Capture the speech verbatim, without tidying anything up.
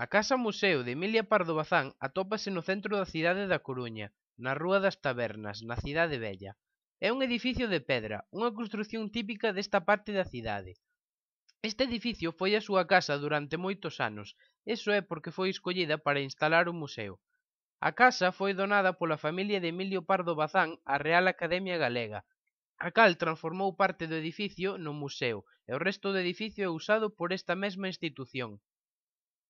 A Casa Museo de Emilia Pardo Bazán atópase no centro da cidade da Coruña, na Rúa das Tabernas, na Cidade Vella. É un edificio de pedra, unha construción típica desta parte da cidade. Este edificio foi a súa casa durante moitos anos, iso é porque foi escollida para instalar o museo. A casa foi donada pola familia de Emilio Pardo Bazán á Real Academia Galega, a cal transformou parte do edificio no museo, e o resto do edificio é usado por esta mesma institución.